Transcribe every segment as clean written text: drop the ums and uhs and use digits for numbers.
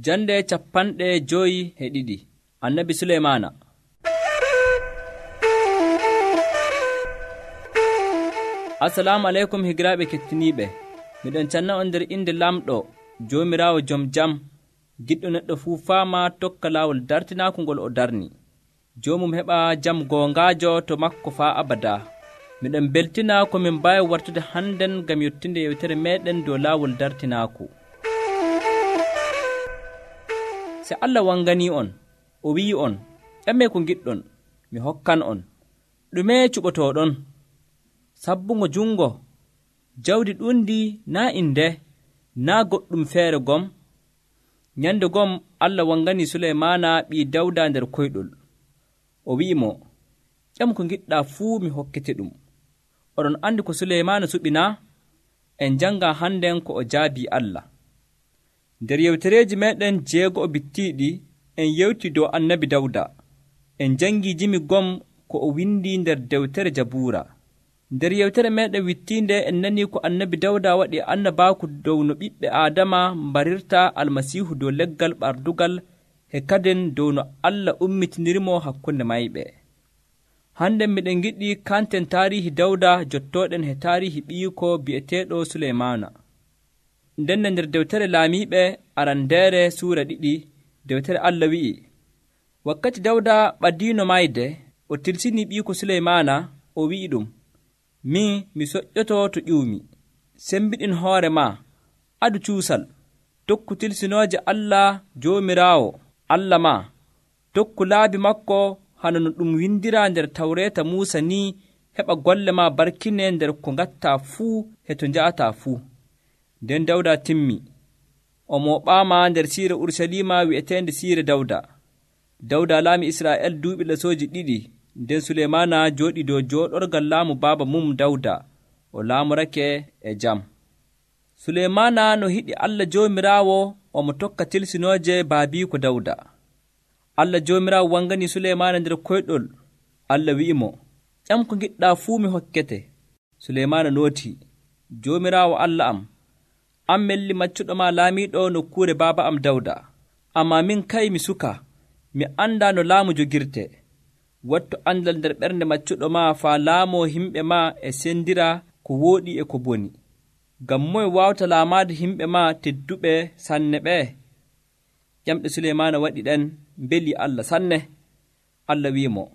Jande 52 Annabi Suleymaana. Assalamu aleykum higiraaɓe kettiniiɓe. Miɗon canna on nder inde lamɗo Joomiraawo jom jam, giɗɗo neɗɗo fuu faama tokka laawol dartinaaku ngol o darni. Joomum heɓa jam goongaajo to makko faa abada. Miɗon beltina ko min mbaawi wartude hannden ngam yottinde yewtere meeɗen dow laawol dartinaaku. Se Allah wanganii on, o wi'i on, ƴammee ko ngiɗɗon, mi hokkan on. Ɗume cuɓotooɗon? Sabbungo jungo, jawdi ɗundi naa inde, naa goɗɗum feere gom. Nyande gom Allah wanganii Suleymaana ɓii Dawda nder koyɗol. O wi'i mo, ƴam ko ngiɗɗaa fuu mi hokkete ɗum. Oɗon andi ko Suleymaana suɓi naa? En janga hannden ko o jaabii Allah. Nder yewtereeji meeɗen 6 bittiiɗi en yewti dow annabi Dawda. En jangii jimi gom ko o windi nder dewtere Jabuura. Nder yewtere meeɗen wittiinde en nanii ko annabi Dawda waɗi annabaaku dow no ɓiɓɓe Aadama mbarirta Almasiihu dow leggal ɓardugal e kaden dow no Allah ummitinirimo hakkunde mayɓe. Hannden miɗen ngiɗi kanten taarihi Dawda jottooɗen he taarihi ɓiyiko bi'eteeɗo Suleymaana. Nden nder dewtere Laamiiɓe arandeere suura 2 dewtere Allah wi'i, wakkati Dawda ɓadiino mayde o tilsinii ɓiyiko Suleymaana o wi'i ɗum, min mi soƴƴoto to ƴuumi, sembiɗin hoore ma, adu cuusal, tokku tilsinooje Allah Joomiraawo Allah ma, tokku laabi makko hano no ɗum windiraa nder Tawreeta Muusa ni, heɓa golle ma barkine nder ko ngattaa fuu e to nja'ataa fuu. Nden Dawda timmi, o mooɓaama nder siire Urusalima wi'eteende siire Dawda. Dawda laami Israa'el duuɓi lesooji 2, nden Suleymaana jooɗii dow jooɗorgal laamu baaba mum Dawda, o laamorake e jam. Suleymaana no hiɗi Allah Joomiraawo omo tokka tilsinooje baabiiko Dawda. Allah Joomiraawo wanganii Suleymaana nder koyɗol. Allah wi'imo, ƴam ko ngiɗɗaa fuu mi hokkete. Suleymaana nootii, Joomiraawo Allah am, an melli maccuɗo ma laamiiɗo nokkuure baaba am Dawda. Ammaa min kay mi suka, mi anndaa no laamu jogirte. Wattu andal nder ɓernde maccuɗo ma faa laamoo himɓe ma e sendira ko wooɗi e ko boni. Ngam moye waawta laamaade himɓe ma tedduɓe sanne ɓee? Ƴamɗe Suleymaana waɗi ɗen mbeli Allah sanne. Allah wi'imo,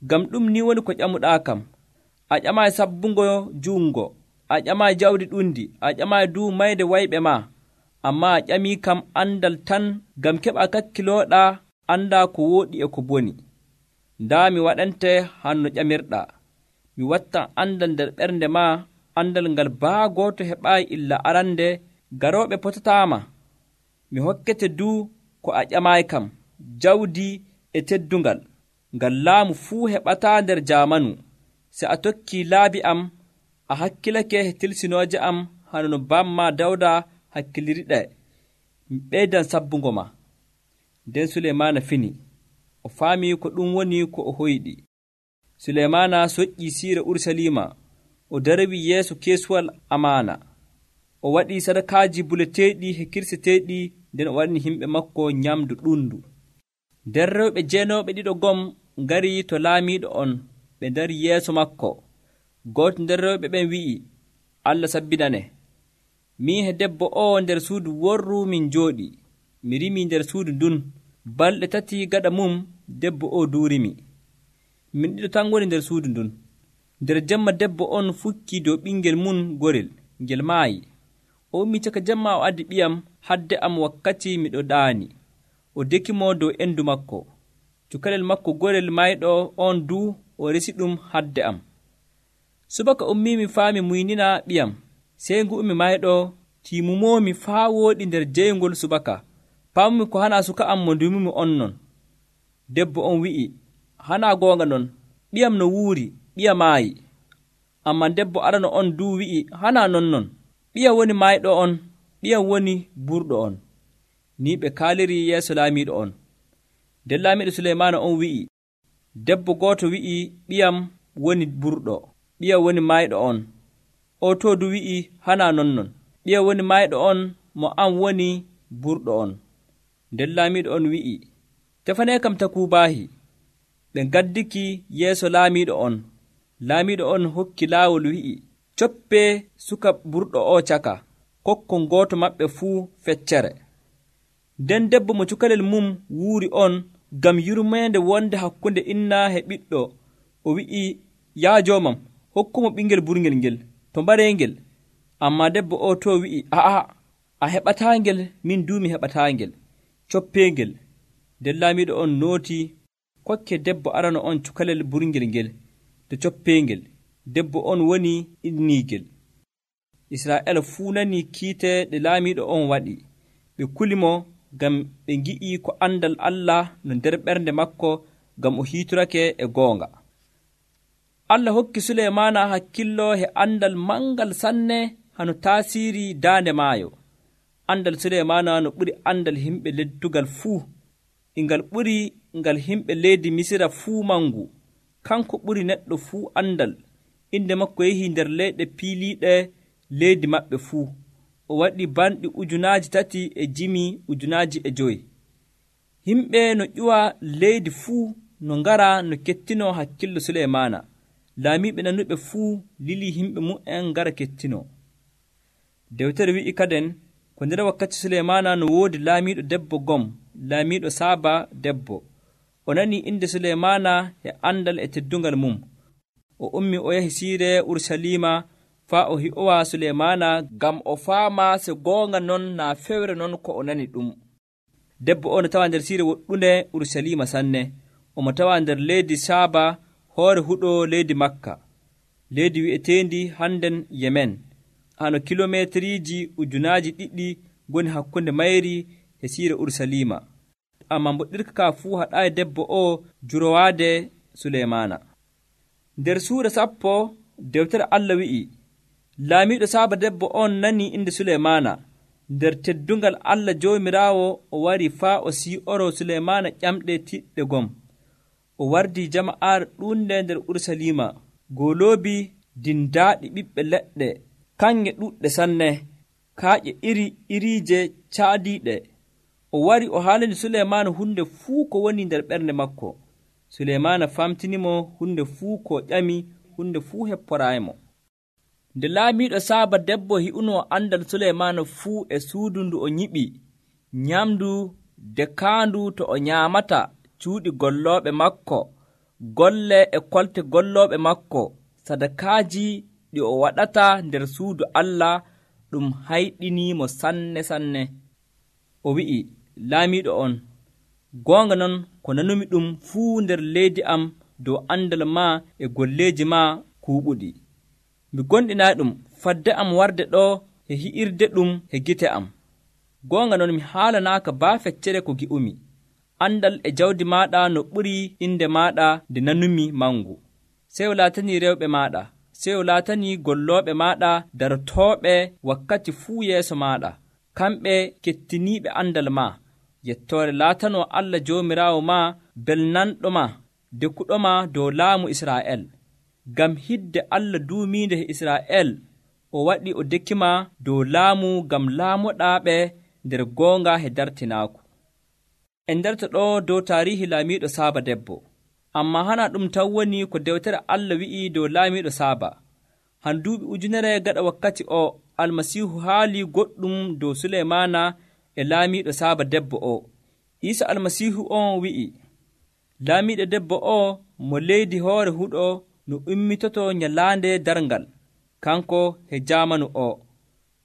ngam ɗum ni woni ko ƴamuɗaa kam, a ƴamaayi sabbungo juungo, a ƴamaayi jawdi ɗundi, a ƴamaayi duu mayde wayɓe ma, ammaa a ƴamii kam andal tan ngam keɓa kakkilooɗaa anndaa ko wooɗi e ko boni. Ndaa mi waɗante hanno ƴamirɗaa, mi wattan andal nder ɓernde ma, andal ngal baa gooto heɓaayi illa arande, garooɓe potataama. Mi hokkete duu ko a ƴamaayi kam, jawdi e teddungal, ngal laamu fuu heɓataa nder jaamanu. Se a tokkii laabi am, a hakkilake e tilsinooje am hano no bamma Dawda hakkiliriɗe, mi ɓeydan sabbungo ma. Nden Suleymaana fini, o faamii ko ɗum woni ko o hoyɗi. Suleymaana soƴƴii siire Urusalima, o darwii yeeso keesuwal amaana. O waɗii sadakaaji buleteeɗi e kirseteeɗi, nden o waɗini himɓe makko nyamdu ɗundu. Nder rewɓe 9 gom ngarii to laamiiɗo on, ɓe ndari yeeso makko. Gooto nder rewɓe ɓen wi'i, Allah sabbinane, min e debbo o nder suudu worru min njooɗi, mi rimii nder suudu ndun, balɗe 3 gaɗa mum debbo o duurimi. Min ɗiɗo tan ngoni nder suudu ndun. Nder jemma debbo on fukkii dow ɓingel mum gorel, ngel maayi. O ummii caka jemma o addi ɓiyam hadde am wakkati miɗo ɗaani. O dekimo dow endu makko. Cukalel makko gorel mayɗo on duu o resi ɗum hadde am. Subaka ummii mi faami muynina ɓiyam, sey ngu ummi mayɗo tiimumoomi faa wooɗi nder jeyngol subaka. Paamumi ko hana suka am mo ndumimi on non. Debbo on wi'i, hana goonga non, ɓiyam no wuuri, ɓiya maayi. Ammaa debbo arano on duu wi'i, hana non, ɓiya woni mayɗo on, ɓiyam woni burɗo on. Ni ɓe kaaliri yeeso laamiiɗo on. Nden laamiiɗo Suleymaana on wi'i, debbo gooto wi'i, ɓiyam woni burɗo, ɓiya woni mayɗo on. O to du wi'i, hana non, ɓiya woni mayɗo on mo an woni burɗo on. nden laamiiɗo on wi'i, tefanee kam takuubaahi. Ɓe ngaddiki yeeso laamiiɗo on. Laamiiɗo on hokki laawol wi'i, coppee suka burɗo o caka, kokkon gooto maɓɓe fuu feccere. Nden debbo mo cukalel mum wuuri on ngam yurmeende wonde hakkunde inna e ɓiɗɗo, o wi'i, yaa joomam, hokkumo ɓingel burngel ngel to mbareengel. Ammaa debbo o to wi'i, a heɓataangel, min duu mi heɓataangel, coppeengel. Nden laamiiɗo on nooti kokke debbo arano on cukalel burngel ngel to coppeengel. Debbo on woni inniigel. Israa'el fuu nanii kiite ɗe laamiiɗo on waɗi. Ɓe kuli mo ngam ɓe ngi'ii ko andal Allah no nder ɓernde makko ngam o hiitorake e goonga. Allah hokki Suleymaana hakkillo e andal mangal sanne hano taasiiri daande maayo. Andal Suleymaana no ɓuri andal himɓe leddugal fuu. Ngal ɓuri ngal himɓe leydi Misira fuu mangu. Kanko ɓuri neɗɗo fuu andal. Inde makko yehii nder leyɗe piiliiɗe leydi maɓɓe fuu. O waɗi banɗi 3,500. Himɓe no ƴuwa leydi fuu no ngara no kettino hakkillo Suleymaana. Laamiiɓe nanuɓe fuu lili himɓe mu'en ngara kettino. Dewtere wi'i kaden ko nder wakkati Suleymaana no woodi laamiiɗo debbo gom, laamiiɗo Saaba debbo. O nani inde Suleymaana e andal e teddungal mum. O ummi o yahi siire Urusalima faa o hi'owa Suleymaana ngam o faama se goonga non naa fewre non ko o nani ɗum. Debbo o no tawa nder siire woɗɗunde Urusalima sanne. Omo tawa nder leydi Saaba, hoore huɗo leydi Makka, leydi wi'eteendi hannden Yemen. Hano kilomeetriiji 2,000 goni hakkunde mayri e siire Urusalima. Ammaa mboɗɗirka ka fuu haɗaayi debbo o jurowaade Suleymaana. Nder suura 10 dewtere Allah wi'i, laamiiɗo Saaba debbo on nani inde Suleymaana. Nder teddungal Allah Joomiraawo o wari faa o sii'oro Suleymaana ƴamɗe tiɗɗe gom. O wardi jama'aare ɗuunde nder Urusalima, goloobi dindaaɗi ɓiɓɓe leɗɗe, kanŋe ɗuɗɗe sanne, kaaƴe iriije caadiiɗe. O wari o haalani Suleymaana hunde fuu ko woni nder ɓernde makko. Suleymaana famtinimo hunde fuu ko ƴami, hunde fuu hepporaayimo. Nde laamiiɗo Saaba debbo hi'unoo andal Suleymaana fuu e suudu ndu o nyiɓi, nyamdu dekaandu to o nyaamata, cuuɗi gollooɓe makko, golle e kolte gollooɓe makko, sadakaaji ɗi o waɗata nder suudu Allah, ɗum hayɗiniimo sanne sanne. O wi'i, laamiiɗo on, goonga non ko nanumi ɗum fuu nder leydi am dow andal maa e golleeji maa kuuɓuɗi. Mi gonɗinaa ɗum fadde am warde ɗo e hi'irde ɗum e gite am. Goonga non mi haalanaaka baa feccere ko gi'umi. Andal e jawdi maaɗa no ɓuri inde maaɗa nde nanumi mangu. Seyo laatanii rewɓe maaɗa, seyo laatanii gollooɓe maaɗa darotooɓe wakkati fuu yeeso maaɗa. Kamɓe kettiniiɓe andal maa. Yettoore laatanoo Allah Joomiraawo maa belnanɗo maa, dekuɗo maa dow laamu Israa'el. Ngam hidde Allah duumiinde e Israa'el, o waɗi o dekima dow laamu ngam laamoɗaaɓe nder goonga e dartinaaku. En ndarta ɗo dow taarihi laamiiɗo Saaba debbo. Ammaa hana ɗum tan woni ko dewtere Allah wi'i dow laamiiɗo Saaba. Han duuɓi 100 gaɗa wakkati o, Almasiihu haali goɗɗum dow Suleymaana e laamiiɗo Saaba debbo o. Iisa Almasiihu on wi'i, laamiiɗo debbo o mo leydi hoore huɗo no ummitoto nyalaande darngal, kanko e jaamanu o.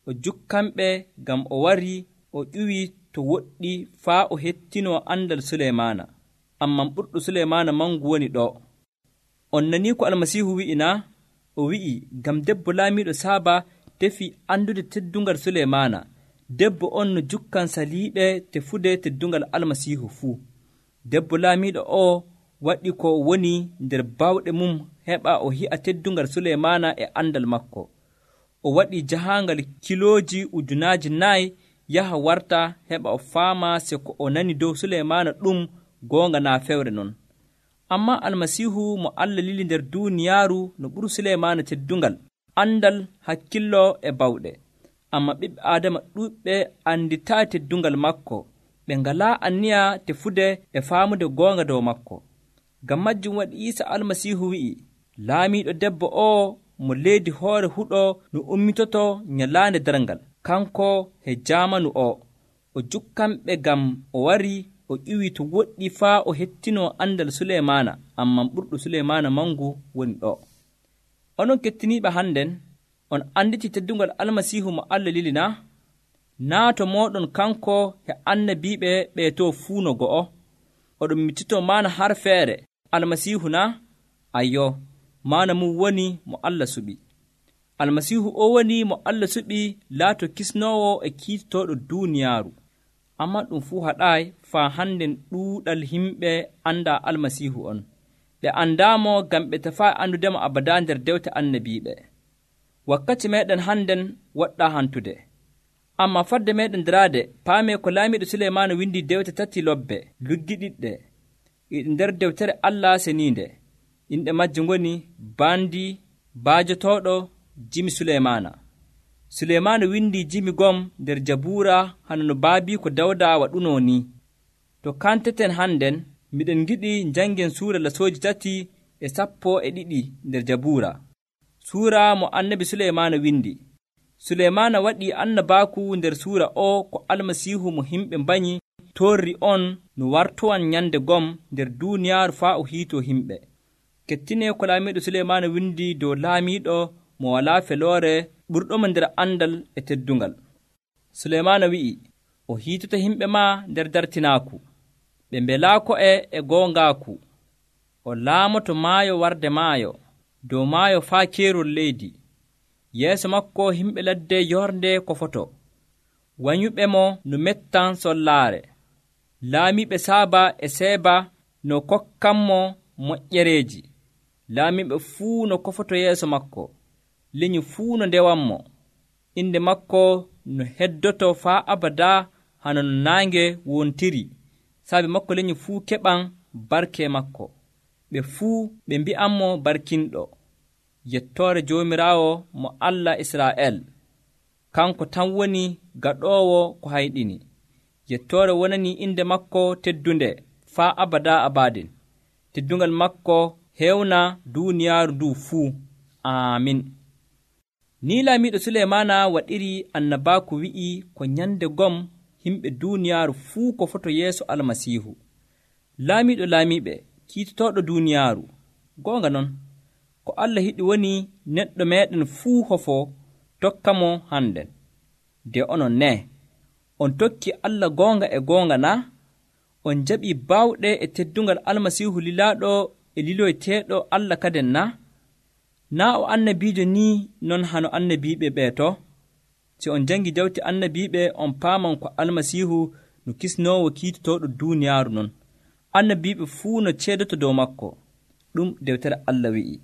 O jukkanɓe ngam o wari o ƴuwi to woɗɗi faa o hettinoo andal Suleymaana. Amman ɓurɗo Suleymaana mangu woni ɗo. On nanii ko Almasiihu wi'ina? O wi'i, ngam debbo laamiiɗo Saaba tefi andude teddungal Suleymaana. Debbo on no jukkan saliiɓe tefude teddungal Almasiihu fuu. Debbo laamiiɗo o waɗi ko woni nder bawɗe mum heɓa o hi'a teddungal Suleymaana e andal makko. O waɗi jahaangal kilooji 4,000 yaha warta heɓa o faama se ko o nani dow Suleymaana ɗum goonga naa fewre non. Ammaa Almasiihu mo Allah lili nder duuniyaaru no ɓuri Suleymaana teddungal, andal, hakkillo e bawɗe. Amma ɓiɓɓe Aadama ɗuuɗɓe anditaa teddungal makko. ɓe ngalaa anniya tefude e faamude goonga dow makko. Ngam majjum waɗi Iisa Almasiihu wi'i, laamiiɗo debbo o'o mo leydi hoore huɗo no ummitoto nyalaande darngal, kanko he jaamanu o jukkanɓe ngam o warii o ƴiwii to woɗɗi faa o hettinoo andal Suleymaana, amman ɓurɗo Suleymaana mangu woni ɗo. Onon kettiniiɓe hannden, on anditi teddungal Almasiihu mo Allah lili na? Naa to mooɗon kanko he annabiiɓe ɓee to fuu no go'o, oɗon miccitoo maana har feere Almasiihu na? Ayyo, maana mum woni mo Allah suɓi. Almasiihu o woni mo Allah suɓi laato kisnoowo e kiitotooɗo duuniyaaru. Ammaa ɗum fuu haɗaayi faa hannden ɗuuɗal himɓe andaa Almasiihu on. Ɓe andaamo ngam ɓe tefaayi andudemo abadaa nder dewte annabiiɓe. Wakkati meeɗen hannden woɗɗaa hantude. Ammaa fadde meeɗen daraade paamee ko laamiiɗo Suleymaana windi dewte 3 lobbe luggiɗiɗɗe e nder dewtere Allah seniinde. Inɗe majje ngoni baandi baajotooɗo jimi Suleymaana. Suleymaana windi jimi gom nder Jabuura hano no baabiiko Dawda waɗunoo ni. To kanteten hannden miɗen giɗi njanngen suura lasooji 3:12 nder Jabuura. Suura mo annabi Suleymaana windi. Suleymaana waɗii annabaaku nder suura o ko Almasiihu mo himɓe mbanyi torri on no wartowan nyande gom nder duuniyaaru faa o hiitoo himɓe. Kettinee ko laamiiɗo Suleymaana windi dow laamiiɗo mo walaa feloore ɓurɗomo nder andal e teddungal. Suleymaana wi'i, o hiitoto himɓe maa nder dartinaaku, ɓe mbelaako e goongaaku. O laamoto maayo warde maayo, dow maayo faa keerol leydi. Yeeso makko himɓe ladde yornde kofoto, wanyuɓe mo no mettan sollaare. Laamiiɓe Saaba e Seeba no kokkanmo moƴƴereeji. Laamiiɓe fuu no kofoto yeeso makko, lenyol fuu no ndewanmo. Inde makko no heddoto faa abadaa hano no naange wontiri. Saabi makko lenyol fuu keɓan barke makko. Ɓe fuu ɓe mbi'anmo barkinɗo. Yettoore Joomiraawo mo Allah Israa'el, kanko tan woni gaɗoowo ko hayɗini. Yettoore wonanii inde makko teddunde faa abadaa abaadin. Teddungal makko heewna duuniyaaru nduu fuu. Aamin. Ni laamiiɗo Suleymaana waɗiri annabaaku wi'i ko nyande gom himɓe duuniyaaru fuu ko foto yeeso Almasiihu. Laamiiɗo laamiiɓe, kiitotooɗo duuniyaaru. Goonga non, ko Allah yiɗi woni neɗɗo meeɗen fuu hofo tokka mo hannden. Nde onon ne, on tokki Allah goonga e goonga na? On jaɓii baawɗe e teddungal Almasiihu lilaaɗo e liloyteeɗo Allah kaden na? Naa o annabiijo ni non hano annabiiɓe ɓee to? Si on jangi dewte annabiiɓe on paaman ko Almasiihu no kisnoowo kiitotooɗo duuniyaaru non. Annabiiɓe fuu no ceedoto dow makko. Ɗum dewtere Allah wi'i.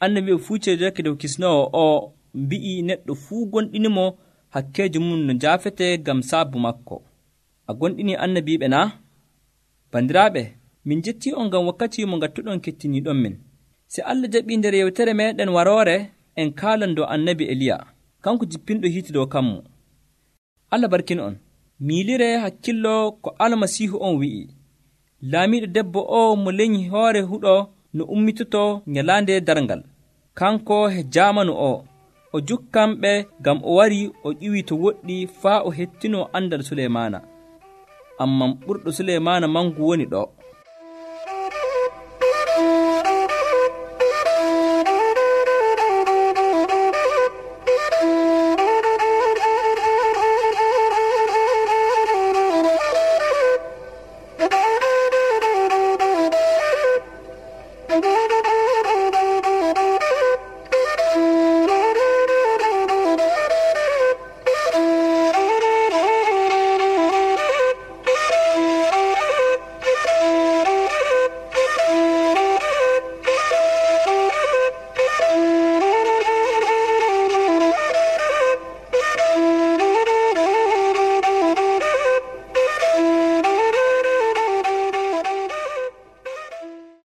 Annabiiɓe fuu ceedorake dow kisnoowo o, mbi'i neɗɗo fuu gonɗinimo hakkeejo mum no njaafete ngam saabu makko. A gonɗini annabiiɓe na? Bandiraaɓe, min jettii on ngam wakkati mo ngattuɗon kettiniiɗon min. Si Allah jaɓii nder yewtere meeɗen waroore en kaalan dow annabi Eliya, kanko jippinɗo hiite dow kammu. Allah barkin on. Miilire hakkillo ko Almasiihu on wi'i. Laamiiɗo debbo o mo lenyi hoore huɗo no ummitoto nyalaande darngal. Kanko he jaamanu o jukkanɓe ngam o warii o ƴiwii to woɗɗi faa o hettinoo andal Suleymaana. Amman ɓurɗo Suleymaana mangu woni ɗo.